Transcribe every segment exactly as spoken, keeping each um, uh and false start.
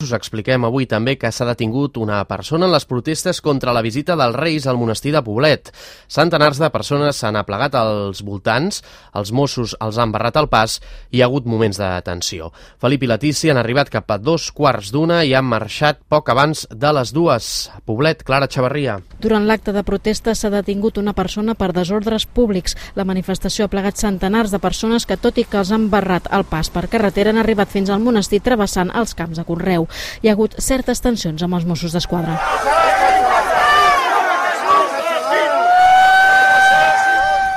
us expliquem avui també que s'ha detingut una persona en les protestes contra la visita dels Reis al monestir de Poblet. Centenars de persones s'han aplegat als voltants, els Mossos els han barrat el pas i hi ha hagut moments de tensió. Felip i Letícia han arribat cap a dos quarts d'una i han marxat poc abans de les dues. Poblet, Clara Chavarria. Durant l'acte de protesta s'ha detingut una persona per desordres públics. La manifestació ha plegat centenars de persones que, tot i que els han barrat el pas per carretera, han arribat fins al monestir travessant els camps de conreu. Hi ha hagut certes tensions amb els Mossos d'Esquadra.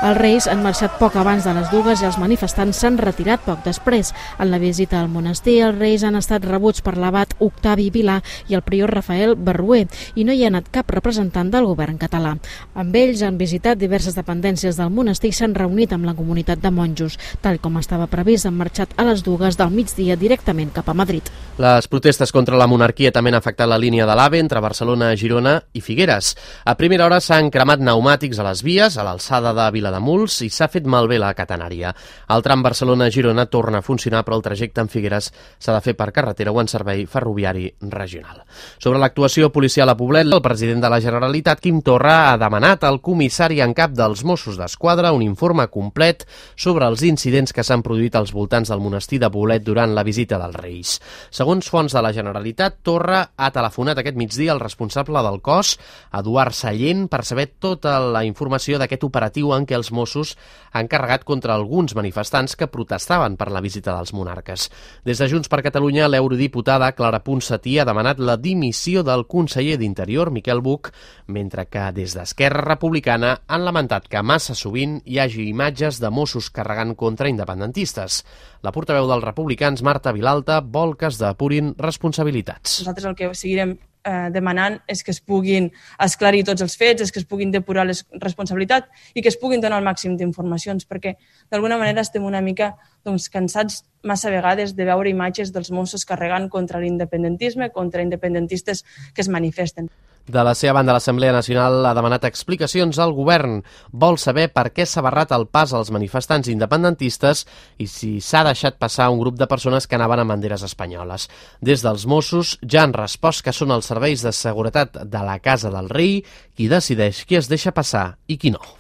Els Reis han marxat poc abans de les dues i els manifestants s'han retirat poc després. En la visita al monestir, els Reis han estat rebuts per l'abat Octavi Vilà i el prior Rafael Barruer, i no hi ha anat cap representant del govern català. Amb ells han visitat diverses dependències del monestir i s'han reunit amb la comunitat de monjos. Tal com estava previst, han marxat a les dues del migdia directament cap a Madrid. Les protestes contra la monarquia també han afectat la línia de l'AVE entre Barcelona, Girona i Figueres. A primera hora s'han cremat pneumàtics a les vies, a l'alçada de Vila de Muls, i s'ha fet malbé la catenària. El tram Barcelona-Girona torna a funcionar, però el trajecte en Figueres s'ha de fer per carretera o en servei ferroviari regional. Sobre l'actuació policial a Poblet, el president de la Generalitat, Quim Torra, ha demanat al comissari en cap dels Mossos d'Esquadra un informe complet sobre els incidents que s'han produït als voltants del monestir de Poblet durant la visita dels Reis. Segons fonts de la Generalitat, Torra ha telefonat aquest migdia al responsable del cos, Eduard Sallent, per saber tota la informació d'aquest operatiu en què els Mossos han carregat contra alguns manifestants que protestaven per la visita dels monarques. Des de Junts per Catalunya, l'eurodiputada Clara Ponsatí ha demanat la dimissió del conseller d'Interior, Miquel Buch, mentre que des d'Esquerra Republicana han lamentat que massa sovint hi hagi imatges de Mossos carregant contra independentistes. La portaveu dels republicans, Marta Vilalta, vol que es depurin responsabilitats. Nosaltres el que seguirem Eh, demanant és que es puguin esclarir tots els fets, és que es puguin depurar les responsabilitats i que es puguin donar el màxim d'informacions, perquè d'alguna manera estem una mica doncs, cansats massa vegades de veure imatges dels Mossos carregant contra l'independentisme, contra independentistes que es manifesten. De la seva banda, l'Assemblea Nacional ha demanat explicacions al govern. Vol saber per què s'ha barrat el pas als manifestants independentistes i si s'ha deixat passar un grup de persones que anaven amb banderes espanyoles. Des dels Mossos ja han respost que són els serveis de seguretat de la Casa del Rei qui decideix qui es deixa passar i qui no.